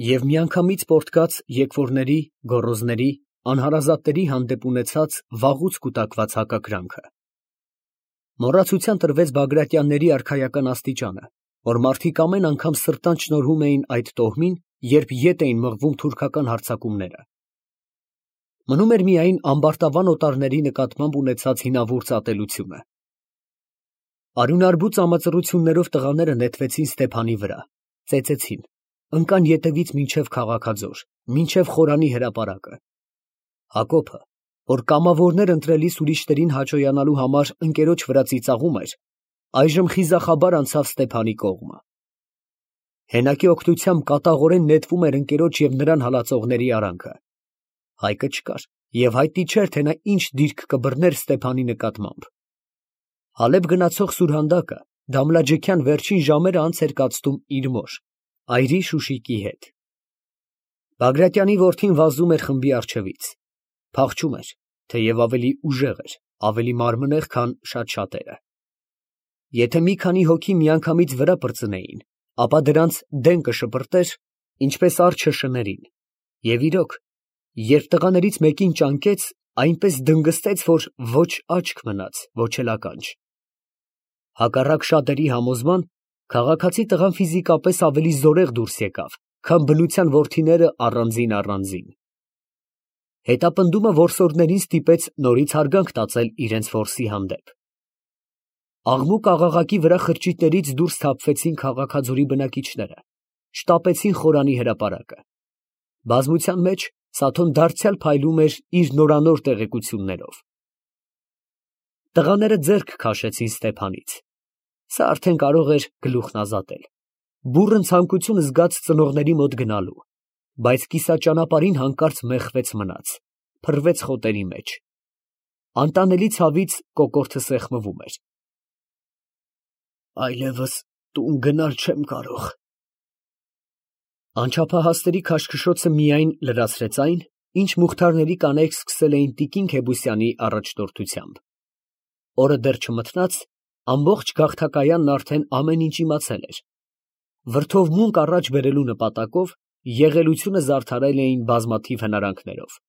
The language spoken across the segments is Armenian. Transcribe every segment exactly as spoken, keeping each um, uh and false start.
և միանգամից պոռթկաց եկվորների, գոռոզների, անհարազատների հանդեպ ունեցած վաղուց կուտակված հակակրանքը։ Մոռացության տրվեց Բագրատյանների արքայական աստիճանը, որ մարդիկ ամեն անգամ սրտանց շնորհում էին այդ տոհմին, երբ ետ էին մղվում թուրքական հարձակումները։ Մնում էր միայն ամբարտավան օտարների նկատմամբ ունեցած հինավուրց ատելությունը։ Արյունարբու ծամածռություններով տղաները նետվեցին Ստեփանի վրա, ծեծեցին, ընկան ետևից մինչև քաղաքաձոր, մինչև Խորանի հրապարակը։ Հակոբը, որ կամավորներ ընտրելիս ուրիշներին հաճոյանալու համար ընկերոջ վրա ծիծաղում էր, այժմ խիզախաբար անցավ Ստեփանի կողմը։ Հենակի օգնությամբ կատաղորեն նետվում էր ընկերոջ և նրան հալածողների արանքը։ Հայկը չկար, և հայտնի չէր, թե նա ինչ դիրք կբռներ Ստեփանի նկատմամբ։ Հալեբ գնացող սուրհանդակը Դամլաջեքյան վերջին ժամերը անց էր կացնում իր մոր, այրի Շուշիկի հետ։ Բագրատյանի որդին վազում էր խմբի առջևից, փախչում էր, թեև ավելի ուժեղ էր, ավելի մարմնեղ, քան շատ շատերը։ Եթե մի քանի հոգի միանգամից վրա պրծնեին, ապա դրանց դեն կշպրտեր, ինչպես արջը շներին, և իրոք, երբ տղաներից մեկին ճանկեց, այնպես դնգստեց, որ ոչ աչք մնաց, ոչ էլ ականջ։ Հակառակ շատերի համոզման, քաղաքացի տղան ֆիզիկապես ավելի զորեղ դուրս եկավ, քան բնության որդիները առանձին֊առանձին։ Հետապնդումը որսորդներին ստիպեց նորից հարգանք տածել իրենց որսի հանդեպ։ Աղմուկ֊աղաղակի վրա խրճիթներից դուրս թափվեցին քաղաքաձորի բնակիչները, շտապեցին Խորանի հրապարակը։ Բազմության մեջ Սաթոն դարձյալ փայլում էր իր նորանոր տեղեկություններով։ Տղաները ձեռք քաշեցին Ստեփանից։ Սա արդեն կարող էր գլուխն ազատել, բուռն ցանկություն զգաց ծնողների մոտ գնալու, բայց կիսաճանապարհին հանկարծ մեղվեց մնաց, փռվեց խոտերի մեջ։ Անտանելի ցավից կոկորդը սեղմվում էր։ Այլևս տուն գնալ չեմ կարող։ Անչափահասների քաշքշոցը միայն լրացրեց այն, ինչ մուխթարների կանայք սկսել էին տիկին Քեբուսյանի առաջնորդությամբ։ Օրը դեռ չմթնած, ամբողջ գաղթակայանն արդեն ամեն ինչ իմացել էր։ Վրդովմունք առաջ բերելու նպատակով եղելությունը զարդարել էին բազմաթիվ հնարանքներով։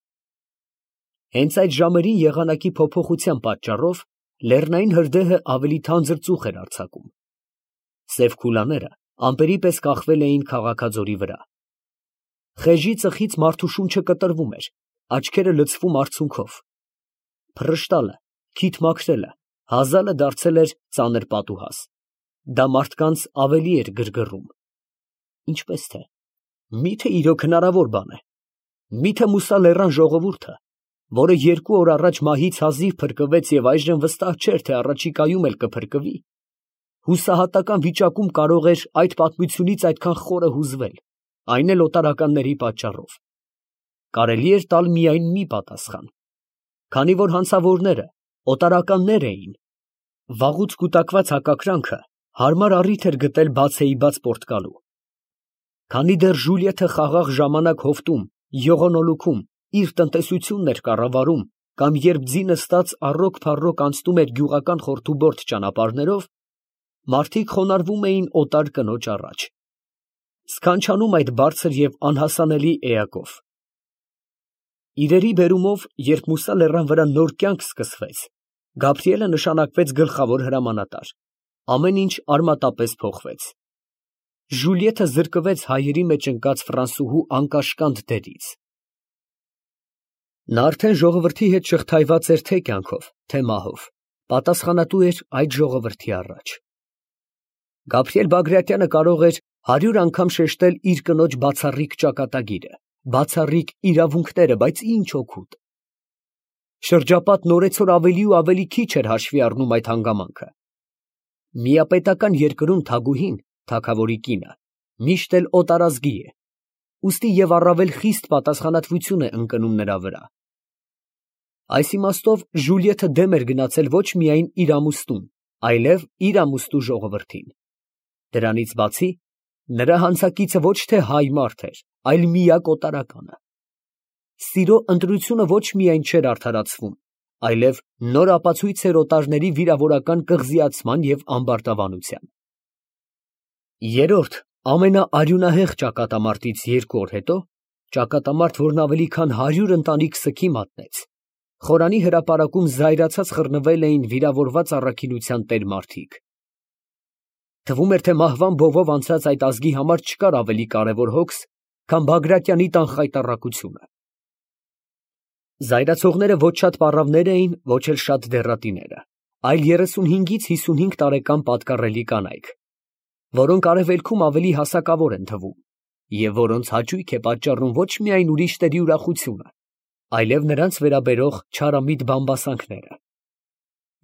Հենց այդ ժամերին եղանակի փոփոխության պատճառով լեռնային հրդեհը ավելի թանձր ծուխ էր արձակում։ Սև քուլաները ամպերի պես կախվել էին քաղաքաձորի վրա։ Խեժի ծխից մարդու շունչը կտրվում էր, աչքերը լցվում արցունքով։ Փռշտալը, քիթ մաքրելը, հազալը դարձել էր ծանր պատուհաս։ Դա մարդկանց ավելի էր գրգռում։ Ինչպես թե, միթե իրոք հնարավոր բան է։ Միթե Մուսա լեռան ժողովուրդը, որը երկու օր առաջ մահից հազիվ փրկվեց և այժմ վստահ չէր, թե առաջիկայում էլ կփրկվի, հուսահատական վիճակում կարող էր այդ պատմությունից այդքան խորը հուզվել, այն էլ օտարականների պատճառով։ Կարելի էր տալ միայն մի պատասխան, քանի որ հանցավորները օտարականներ էին, վաղուց կուտակված հակակրանքը հարմար առիթ էր գտել բացեիբաց պոռթկալու։ Քանի դեռ Ժուլիեթը խաղաղ ժամանակ հովտում, յողոնոլուքում իր տնտեսությունն էր կառավարում, կամ երբ ձի նստած առօգ֊փառօգ անցնում էր գյուղական խորթուբորթ ճանապարհներով, մարդիկ խոնարհվում էին օտար կնոջ առաջ, սքանչանում այդ բարձր և անհասանելի էակով։ Իրերի բերումով, երբ Մուսա լեռան վրա նոր կյանք սկսվեց, Գաբրիելը նշանակվեց գլխավոր հրամանատար, ամեն ինչ արմատապես փոխվեց։ Ժուլիեթը զրկվեց հայերի մեջ ընկած ֆրանսուհու անկաշկանդ դերից։ Նա արդեն ժողովրդի հետ շղթայված էր թե կյանքով, թե մահով, պատասխանատու էր այդ ժողովրդի առաջ։ Գաբրիել Բագրատյանը կարող էր հարյուր անգամ շեշտել իր կնոջ բացառիկ ճակատագիրը, բացառիկ իրավունքները, բայց ինչ օգուտ։ Շրջապատն օրեցօր ավելի ու ավելի քիչ էր հաշվի առնում այդ հանգամանքը։ Միապետական երկրում թագուհին, թագավորի կինը, միշտ էլ օտարազգի է, ուստի և առավել խիստ պատասխանատվություն է ընկնում նրա վրա։ Այս իմաստով Ժուլիեթը դեմ էր գնացել ոչ միայն իր ամուսնուն, այլև իր ամուսնու ժողովրդին։ Դրանից բացի, նրա հանցակիցը ոչ թե հայ մարդ էր, այլ միակ օտարականը։ Սիրո ընտրությունը ոչ միայն չէր արդարացվում, այլև նոր ապացույց էր օտարների վիրավորական կղզիացման և ամբարտավանության։ Երրորդ, Ամենաարյունահեղ ճակատամարտից երկու օր հետո, ճակատամարտ, որն ավելի քան հարյուր ընտանիք սգի մատնեց, Խորանի հրապարակում զայրացած խռնվել էին վիրավորված առաքինության տեր մարդիկ։ Թվում էր, թե մահվան բովով անցած այդ ազգի համար չկար ավելի կարևոր հոգս, քան Բագրատյանի տան խայտառակությունը։ Զայրացողները ոչ շատ պառավներ էին, ոչ էլ շատ դեռատիները, այլ երեսունհինգից հիսունհինգ տարեկան պատկառելի կանայք, որոնք արևելքում ավելի հասակավոր են թվում, և որոնց հաճույք է պատճառում ոչ միայն ուրիշների ուրախությունը, այլև նրանց վերաբերող չարամիտ բամբասանքները։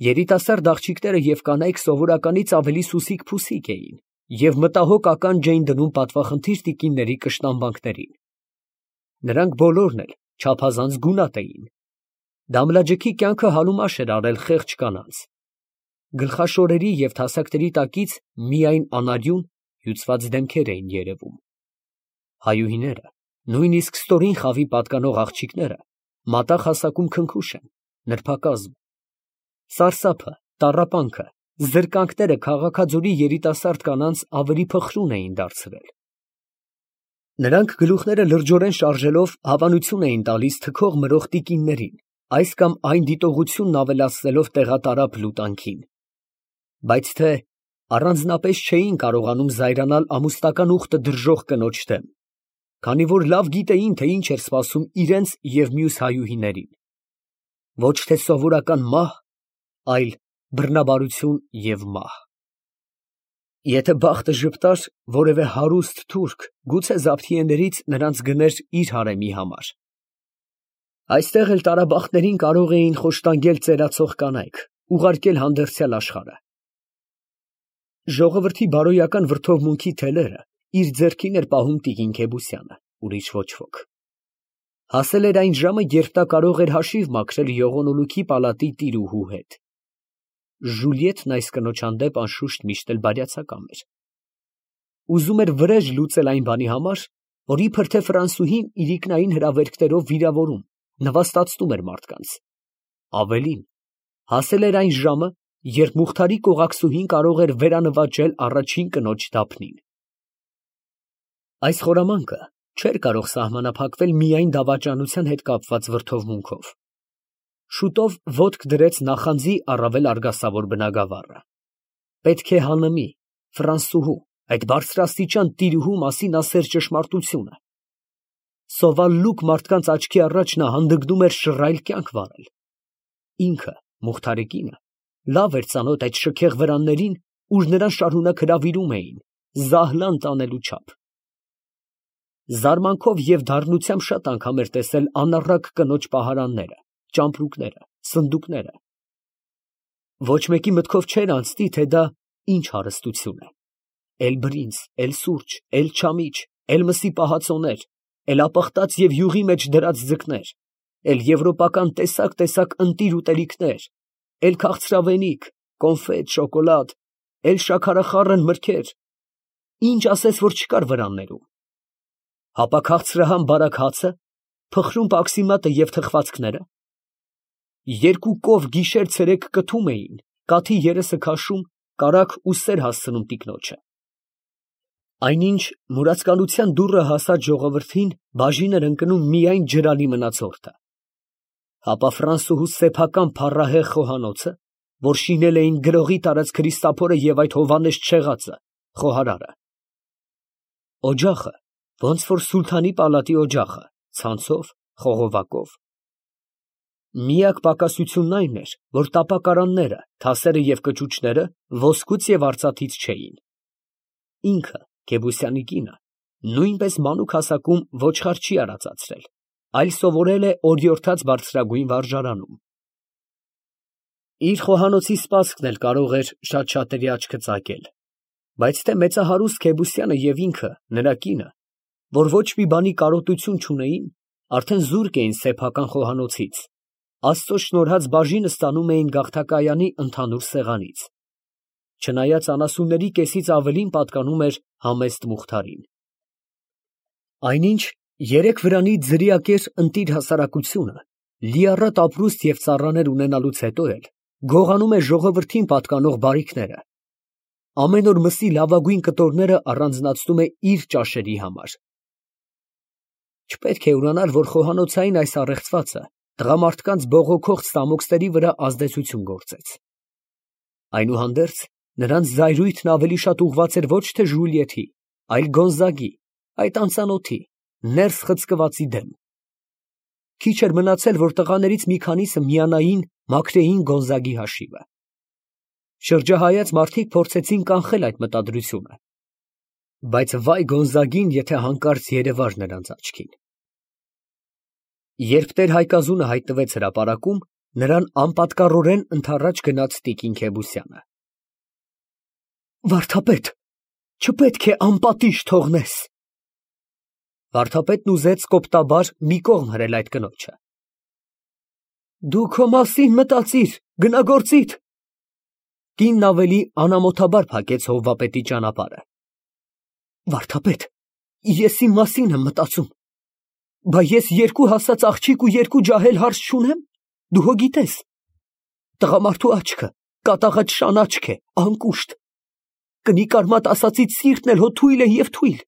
Երիտասարդ աղջիկները և կանայք սովորականից ավելի սուսիկ֊փուսիկ էին և մտահոգ ականջ էին դնում պատվախնդիր տիկինների կշտամբանքներին։ Նրանք բոլորն էլ չափազանց գունատ էին։ Դամլաջգի կյանքը հարումաշ էր արել խեղճ կանանց։ Գլխաշորերի և թասակների տակից միայն անարյուն, հյուծված դեմքեր էին երևում։ Հայուհիները, նույնիսկ ստորին խավի պատկանող աղջիկները, մատաղ հասակում քնքուշ են, նրբակազմ։ Սարսափը, տառապանքը, զրկանքները Քաղաքաձորի երիտասարդ կանանց ավելի փխրուն էին դարձրել։ Նրանք գլուխները լրջորեն շարժելով հավանություն էին տալիս թքող մրող տիկիններին, այս կամ այն դիտողությունն ավելացնելով տեղատարափ լուտանքին։ Բայց թե առանձնապես չէին կարողանում զայրանալ ամուսնական ուխտը դրժող կնոջ դեմ, քանի որ լավ գիտեին, թե ինչ էր սպասում իրենց և մյուս հայուհիներին։ Ոչ թե սովորական մահ, այլ բռնաբարություն և մահ։ Եթե բախտը ժպտար, որևէ հարուստ թուրք գուցե Զաբթիեներից նրանց գներ իր հարեմի համար։ Այստեղ էլ տարաբախտներին կարող էին խոշտանգել ծերացող կանայք, ուղարկել հանդերձյալ աշխարհը։ Ժողովրդի բարոյական վրդովմունքի թելերը իր ձեռքին էր պահում տիկին Քեբուսյանը, ուրիշ ոչ ոք։ Հասել էր այն ժամը, երբ նա կարող էր հաշիվ մաքրել Յողոնոլուքի պալատի տիրուհու հետ։ Ժուլիետն այս կնոջ հանդեպ անշուշտ միշտ էլ բարյացակամ էր։ Ուզում էր վրեժ լուծել այն բանի համար, որ իբր թե Ֆրանսուհին իրիկնային հրավերքներով վիրավորում, նվաստացնում էր մարդկանց։ Ավելին, հասել էր այն ժամը, երբ Մուխթարի կողակսուհին կարող էր վերանվաճել առաջին կնոջ դափնին։ Այս խորամանկը չէր կարող սահմանափակվել միայն դավաճանության հետ կապված վրդովմունքով։ Շուտով ոտք դրեց նախանձի առավել արգասավոր բնագավառը։ Պետք է հաննմի, ֆրանսուհու, այդ բարձրաստիճան տիրուհու մասին ասեր ճշմարտությունը։ Սովալլուկ մարդկանց աչքի առաջ նա հանդգնում էր շռայլ կյանք վարել։ Ինքը, Մուխթարի կինը, լավ էր ծանոթ այդ շքեղ վրաններին, ուր նրան շարունակ հրավիրում էին, զահլան տանելու չափ։ Զարմանքով և դառնությամբ շատ անգամ էր տեսել անառակ կնոջ պահարանները, ճամպրուկները, սնդուկները։ Ոչ մեկի մտքով չէր անցնի, թե դա ինչ հարստություն է։ Էլ բրինձ, էլ սուրճ, էլ չամիչ, էլ մսի պահածոներ, էլ ապխտած և յուղի մեջ դրած ձկներ, էլ եվրոպական տեսակ֊տեսակ ընտիր ուտելիքներ, էլ քաղցրավենիք, կոնֆետ, շոկոլադ, էլ շաքարախառն մրգեր, ինչ ասես, որ չկար վրաններում։ Հապա քաղցրահամ բարակ հացը, փխրուն պաքսիմատը և թխվածքները։ Երկու կով գիշեր֊ցերեկ կթում էին, կաթի երեսը քաշում, կարագ ու սեր հասցնում տիկնոջը։ Այնինչ մուրացկանության դուռը հասած ժողովրդին բաժին էր ընկնում միայն ջրալի մնացորդը։ Հապա ֆրանսուհու սեփական փառահեղ խոհանոցը, որ շինել էին գրողի տարած Քրիստափորը և այդ հովանեստ շեղածը, խոհարարը։ Օջախը, ոնց որ սուլթանի պալատի օջախը, ցանցով, խողովակով։ Միակ պակասությունն այն էր, որ տապակարանները, թասերը և կճուճները ոսկուց և արծաթից չէին։ Ինքը, Քեբուսյանի կինը, նույնպես մանուկ հասակում ոչխար չի արածացրել, այլ սովորել է օրիորդաց բարձրագույն վարժարանում։ Իր խոհանոցի սպասքն էլ կարող էր շատ֊շատերի աչքը ծակել, բայց թե մեծահարուստ Քեբուսյանը և ինքը, նրա կինը, որ ոչ մի բանի կարոտություն չունեին, արդեն զուրկ էին սեփական խոհանոցից, Աստծո շնորհած բաժինը ստանում էին գաղթակայանի ընդհանուր սեղանից, չնայած անասունների կեսից ավելին պատկանում էր համեստ Մուխթարին։ Այնինչ երեք վրանի ձրիակեր ընտիր հասարակությունը, լիառատ ապրուստ և ծառաներ ունենալուց հետո էլ գողանում է ժողովրդին պատկանող բարիքները։ ամեն օր մսի լավագույն կտորները առանձնացնում է իր ճաշերի համար։ Չպետք է ուրանալ, որ խոհանոցային այս առեղծվածը տղամարդկանց բողոքող ստամոքսների վրա ազդեցություն գործեց։ Այնուհանդերձ, նրանց զայրույթն ավելի շատ ուղղված էր ոչ թե Ժուլիետի, այլ Գոնզագի, այդ անծանոթի, ներս խցկվածի դեմ։ Քիչ էր մնացել, որ տղաներից մի քանիսը միանային մաքրեին Գոնզագի հաշիվը։ Շրջահայաց մարդիկ փորձեցին կանխել այդ մտադրությունը, բայց վայ Գոնզագին, եթե հանկարծ երևար նրանց աչքին։ Երբ տեր Հայկազունը հայտնվեց հրապարակում, նրան անպատկառորեն ընդառաջ գնաց տիկին Քեբուսյանը։ Վարդապետ, չպետք է անպատիժ թողնես։ Վարդապետն ուզեց կոպտաբար մի կողմ հրել այդ կնոջը։ Դու քո մասին մտածիր, գնագործիդ։ Կինն ավելի անամոթաբար փակեց հովվապետի ճանապարհը։ Վարդապետ, ես իմ մասին եմ մտածում։ Բա ես երկու հասած աղջիկ ու երկու ջահել հարց չունեմ, դու հո գիտես։ Տղամարդու աչքը կատաղած շան աչք է, անկուշտ։ Կնիկ արմատ ասածից սիրտն էլ հո թույլ է և թույլ։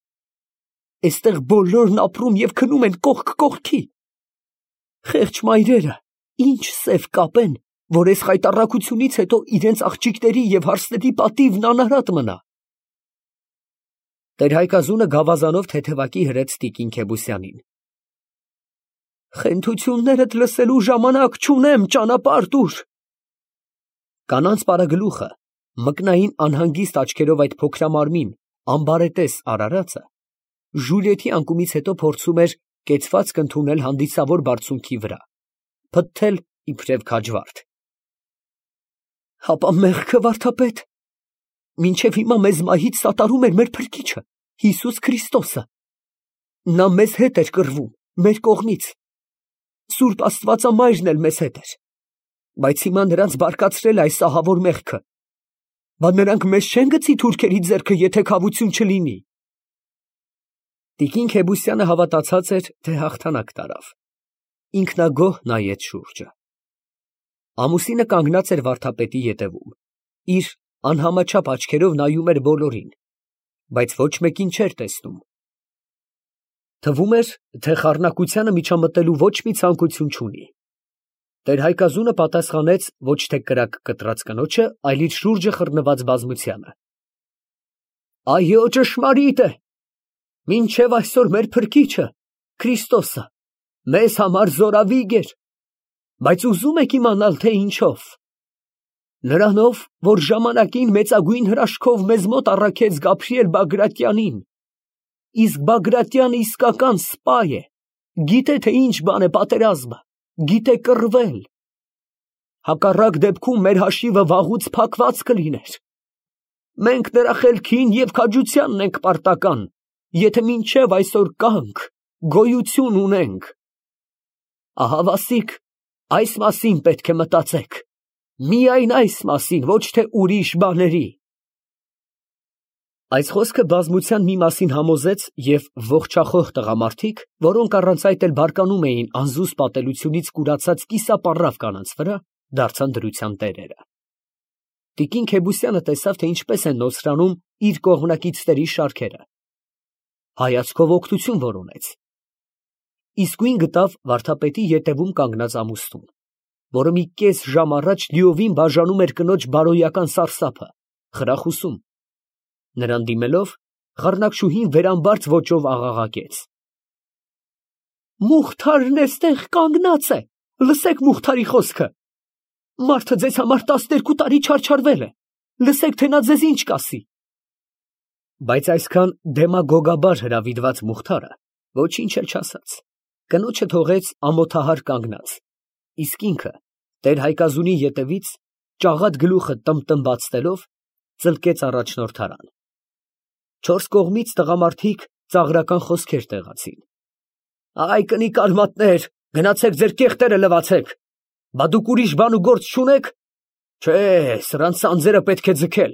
Էստեղ բոլորն ապրում և քնում են կողք կողքի։ Խեղճ մայրերը ինչ սև կապեն, որ այս խայտառակությունից հետո իրենց աղջիկների և հարսների պատիվն անարատ մնա։ Տեր Հայկազունը գավազանով թեթևակի հրեց տիկին Քեբուսյանին։ Խենթություններդ լսելու ժամանակ չունեմ, ճանապարհ տուր։ Կանանց պարագլուխը, մկնային անհանգիստ աչքերով այդ փոքրամարմին, ամբարետես արարածը, Ժուլիետի անկումից հետո փորձում էր կեցվածք ընդունել հանդիսավոր բարձունքի վրա, փթթել իբրև քաջվարդ։ Հապա մեղքը, վարդապետ, մինչև հիմա մեզ մահից սատարում էր մեր Փրկիչը, Հիսուս Քրիստոսը։ Նա մեզ հետ էր կռվում, մեր կողմից։ Սուրբ Աստվածամայրն էլ մեզ հետ էր, բայց հիմա նրանց բարկացրել այս ահավոր մեղքը։ Բա նրանք մեզ չեն գցի թուրքերի ձեռքը, եթե քավություն չլինի։ Տիկին Քեբուսյանը հավատացած էր, թե հաղթանակ տարավ։ Ինքնագոհ նայեց շուրջը։ Ամուսինը կանգնած էր վարդապետի ետևում, իր անհամաչափ աչքերով նայում էր բոլորին, բայց ոչ մեկին չէր տեսնում։ Թվում էր, թե խառնակությանը միջամտելու ոչ մի ցանկություն չունի։ Տեր Հայկազունը պատասխանեց ոչ թե կրակ կտրած կնոջը, այլ իր շուրջը խռնված բազմությանը։ Այո, ճշմարիտ է։ Մինչև այսօր մեր Փրկիչը, Քրիստոսը, մեզ համար զորավիգ էր, բայց ուզում եք իմանալ, թե ինչով։ Նրանով, որ ժամանակին մեծագույն հրաշքով մեզ մոտ առաքեց Գաբրիել Բագրատյանին, իսկ Բագրատյանը իսկական սպա է, գիտե, թե ինչ բան է պատերազմը, գիտե կռվել։ Հակառակ դեպքում մեր հաշիվը վաղուց փակված կլիներ։ Մենք նրա խելքին և քաջությանն ենք պարտական, եթե մինչև այսօր կանք, գոյություն ունենք։ Ահա Վասիկ, այս մասին պետք է մտածեք, միայն այս մասին, ոչ թե ուրիշ բաների։ Այս խոսքը բազմության մի մասին համոզեց և ողջախոհ տղամարդիկ, որոնք առանց այդ էլ բարկանում էին անզուսպ պատելությունից կուրացած կիսապառավ կանանց վրա, դարձան դրության տերերը։ Տիկին Քեբուսյանը տեսավ, թե ինչպես են նոսրանում իր կողմնակիցների շարքերը։ Հայացքով օգնություն որոնեց։ Իսկույն գտավ վարդապետի ետևում կանգնած ամուսնուն, որը մի կես ժամ առաջ լիովին բաժանում էր կնոջ բարոյական սարսափը, խրախուսում։ Նրան դիմելով, խառնակշուհին վերամբարձ ոճով աղաղակեց. Մուխթարն էստեղ կանգնած է, լսեք Մուխթարի խոսքը։ Մարդը ձեզ համար տասներկու տարի չարչարվել է, լսեք, թե նա ձեզ ինչ կասի։ Բայց այսքան դեմագոգաբար հրավիրված Մուխթարը ոչինչ էլ չասաց, կնոջը թողեց ամոթահար կանգնած, իսկ ինքը տեր Հայկազունի ետևից ճաղատ գլուխը տմտմբացնելով ծլկեց առաջնորդարան։ Չորս կողմից տղամարդիկ ծաղրական խոսքեր տեղացին։ Այ կնիկ արմատներ, գնացեք ձեր կեղտերը լվացեք, բա դուք ուրիշ բան ու գործ չունեք։ Չէ, սրանց անձերը պետք է ձգել,